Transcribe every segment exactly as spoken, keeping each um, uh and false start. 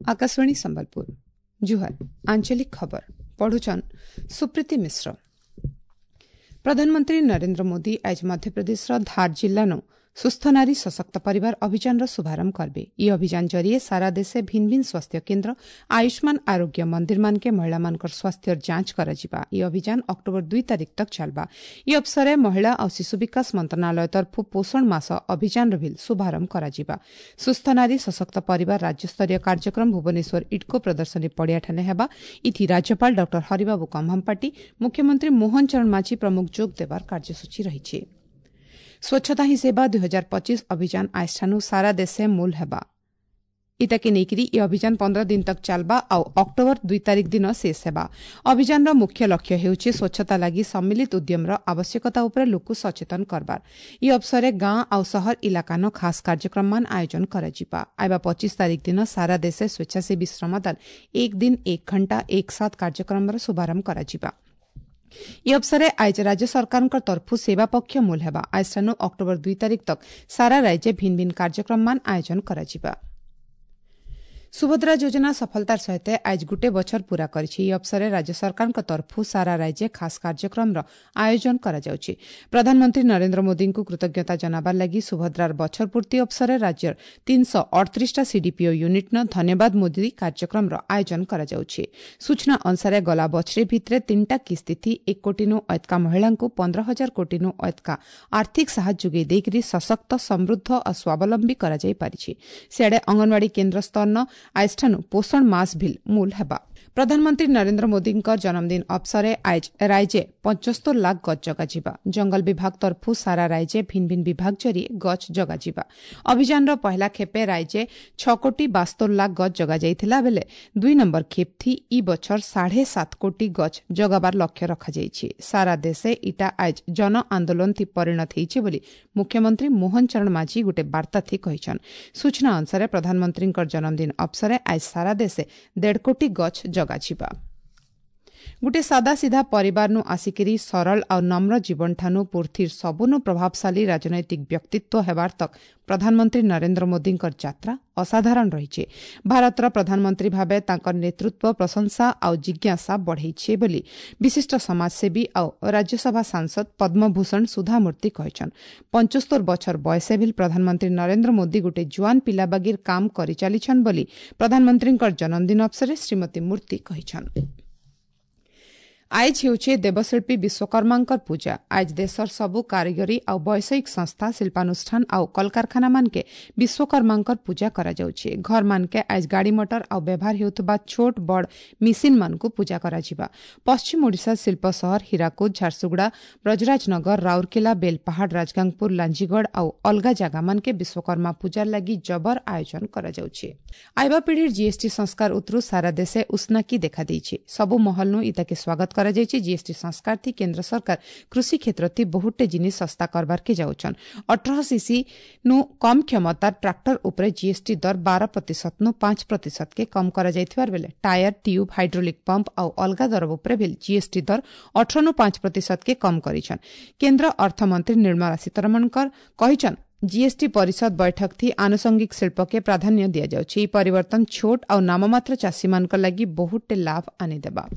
आकाशवाणी संबलपुर जुहर आंचलिक खबर पढ़ुछन सुप्रीति मिश्र। प्रधानमंत्री नरेंद्र मोदी आज मध्यप्रदेश धार जिल्लानो सुस्थ नारी सशक्त परिवार अभियान शुभारंभ करबे। ई अभियान जरिए सारा देशे भिन्न भिन्न स्वास्थ्य केन्द्र आयुष्मान आरोग्य मंदिर मानके महिला मानकर स्वास्थ्य जांच कराजिबा। ई अभियान अक्टूबर दुई तारीख तक चलबा। ई अवसरे महिला और शिशु विकास मंत्रालय तरफ पोषण मास अभियान भी शुभारंभ कराजिबा। सुस्थ नारी सशक्त परिवार राज्य स्तरीय कार्यक्रम भुवनेश्वर इडको प्रदर्शनी पड़ियाठाने हेबा। इथि राज्यपाल डॉक्टर हरिबाबू कंभमपाटी, मुख्यमंत्री मोहन चरण माझी प्रमुख जोग देवार कार्यसूची रही। स्वच्छता ही सेवा दुई हजार पच्चीस अभियान आजठानु सारा देशे मूल हेबा। इताके नेइकरी ए अभियान पंद्रह दिन तक चालबा आउ अक्टूबर दुई तारीख दिन शेष हेबा। अभियान मुख्य लक्ष्य हेउछि स्वच्छता लागि सम्मिलित उद्यम र आवश्यकता उपरे लोकु सचेतन करबार। ई अवसरे गां आउ शहर इलाकानो खास कार्यक्रम मान आयोजन कराजिबा। आइबा पच्चीस तारीख दिन सारा देशे स्वेच्छासेवी श्रमदान एक दिन एक घंटा एक साथ कार्यक्रम र शुभारंभ कराजिबा। ई अवसरे आज राज्य सरकार तरफ सेवा पक्ष मूल हेबा। आजठानु अक्टूबर दुई तारीख तक सारा राज्य भिन्न भिन्न कार्यक्रम मान आयोजन कराजिबा। सुभद्रा योजना सफलतार सहित आज गोटे बछर पूरा करिछि। ई अवसरे राज्य सरकार तरफ सारा राज्य खास कार्यक्रम र आयोजन कराजाउछि। प्रधानमंत्री नरेंद्र मोदी को कृतज्ञता जनाबार लागि सुभद्रार बछर पूर्ति अवसरे राज्यर तीन सौ अड़तीसटा सीडीपीओ यूनिट न धन्यवाद मोदी कार्यक्रम र आयोजन कराजाउछि। सूचना अनुसार गला बछरे भितरे तीनटा किस्ती एक कोटी नु अयतका महिला को पंद्रह हजार कोटी नु अयतका आर्थिक साहाଯ୍य जोगाई देइकरी सशक्त समृद्ध और स्वावलंबी कराजाई पारिछि। सियाडे अंगनवाड़ी केन्द्र स्तर न आजठानु पोषण मास ଭିଲ ମୂଲ ହେବା। प्रधानमंत्री नरेंद्र मोदी जन्मदिन अवसरे आज राज्य पचस्तर लाख गछ जगाजिबा। जंगल विभाग तरफ सारा राज्य भिन्न भिन्न विभाग जरिए गछ जगाजिबा। अभियान पहला खेपे राज्य छ कोटी बास्तर लाख गछ जगा जाइथिला बेले दुई नंबर खेप थी ई बछर साढ़े सात कोटी गछ जगाबार लक्ष्य रखा जाइछि। सारा देशे इटा आज जन आंदोलन थी परिणत हेइछि बोली मुख्यमंत्री मोहन चरण माझी गोटे बार्ता थी कहिछन। सूचना अनुसार प्रधानमंत्री जन्मदिन अवसरे आज सारा देशे देढ़ कोटी गछ जगाजिबा। गोटे सादा सीधा परिवार नु आसिकिरी सरल और नम्र जीवन ठानु पृथ्वीर सबुनु प्रभावशाली राजनैतिक व्यक्तित्व हेबार तक प्रधानमंत्री नरेंद्र मोदी यात्रा असाधारण रही। भारतर प्रधानमंत्री भावे तांकर नेतृत्व प्रशंसा आउ जिज्ञासा बढ़ेछि बोली विशिष्ट समाजसेवी आउ राज्यसभा सांसद पद्मभूषण सुधामूर्ति कहिछन। पंचस्तर बछर बयसे भी प्रधानमंत्री नरेंद्र मोदी गोटे जुआन पिला बागीर काम करि चालिछन बोली प्रधानमंत्री जन्मदिन अवसरे श्रीमती मूर्ति कहिछन। आइज हेउछे देवशिल्पी विश्वकर्मांकर पूजा। आज देशर सबु कारीगरी आउ वैषयिक संस्था शिल्पानुष्ठान आउ कलकारखाना मानके विश्वकर्मांकर पूजा कराजाउछे। घर मानके आज गाड़ी मटर आउ व्यवहार हेउतुबा छोट बड़ मिसिन मानकु पूजा कराजिबा। पश्चिम ओडिशा शिल्प सहर हीराकुद, झारसुगुड़ा, ब्रजराजनगर, राउरकेला, बेलपहाड़, राजगांगपुर, लांजीगढ़ आउ अलगा जागा मानके विश्वकर्मा पूजा लागि जबर आयोजन कराजाउछे। आइबा पीढ़ीर जीएसटी संस्कार उतरु सारा देशे उष्णाकी देखा देइछे। सबु महलनु इताके स्वागत कराजाइछि। जीएसटी संस्कार थी केंद्र सरकार कृषि क्षेत्र थी बहुते जिनिस सस्ता करबार के जाउछन। अठारह सीसी नु कम क्षमता ट्राक्टर उपरे जीएसटी दर बारह प्रतिशत नु पांच प्रतिशत के कम कराजाइथिबार बेले टायर, ट्यूब, हाइड्रोलिक पंप आउ अलगा दर उपरे भी जीएसटी दर अठारह नु पांच प्रतिशत के कम करिछन। केंद्र अर्थमंत्री निर्मला सीतारमण कहिछन जीएसटी परिषद बैठक थी आनुषंगिक शिल्प के प्राधान्य दिया जाଉଛି। ई परिवर्तन छोट आउ नाममात्र चाषी मानक लागि बहुते लाभ आनिदेबा।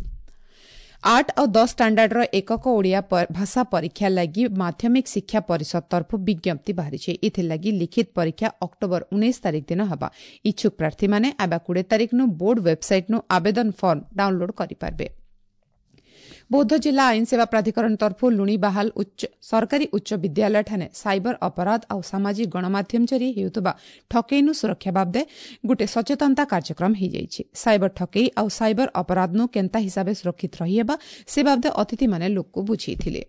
आठ और दस स्टांडार्ड ର ଏକକ ଓଡ଼ିଆ ଭାଷା ପରୀକ୍ଷା ଲାଗି ମାଧ୍ୟମିକ ଶିକ୍ଷା ପରିଷଦ ତରଫରୁ ବିଜ୍ଞପ୍ତି ବାହାରିଛି। ଏଥିଲାଗି ଲିଖିତ ପରୀକ୍ଷା ଅକ୍ଟୋବର ଉଣେଇଶ ତାରିଖ ଦିନ ହେବା। ଇଚ୍ଛୁକ ପ୍ରାର୍ଥୀମାନେ ଆବା କୋଡ଼ିଏ ତାରିଖ ନୁ ବୋର୍ଡ ୱେବସାଇଟ୍ ନୁ ଆବେଦନ ଫର୍ମ ଡାଉନଲୋଡ୍ କରିପାରିବେ। बौद्ध जिला आईन सेवा प्राधिकरण तरफ लुणीबाहाल उच्च सरकारी उच्च विद्यालय ठाने साइबर अपराध आउ सामाजिक गणमाध्यम जरिए हेउतुबा ठकेइनु सुरक्षा बाबदे गोटे सचेतनता कार्यक्रम हेइजाइछि। साइबर ठकेई आउ साइबर अपराधनु केन्ता हिसाबे सुरक्षित रहिएबा से बाबदे अतिथि माने लोकको बुझेइथिले।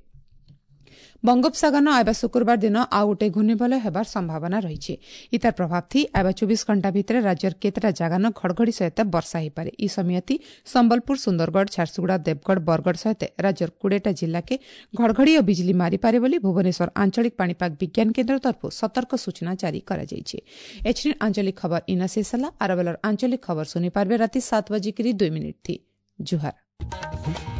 बंगोपसागर आଇବା शुक्रवार दिन आउ गोटे घूर्णिवलय हेबार संभावना रही। इतार प्रभाव थी आଇବା चौबीस घंटा भितर राज्यर केतरा जागान घड़घड़ी सहित वर्षा होईपारे। ई समयति संबलपुर, सुंदरगढ़, झारसुगुड़ा, देवगढ़, बरगढ़ सहित राज्यर कोड़ेटा जिला के घड़घड़ी और बिजली मारिपारे बोली भुवनेश्वर आंचलिक पाणीपाग विज्ञान केन्द्र तरफ सतर्क सूचना जारी कराଯାଇଛି। एछिन आंचलिक खबर इना शेष होला। आरबेलर आंचलिक खबर सुनि पारबे राति सात बजिकरी दुई मिनिट थी। जुहार।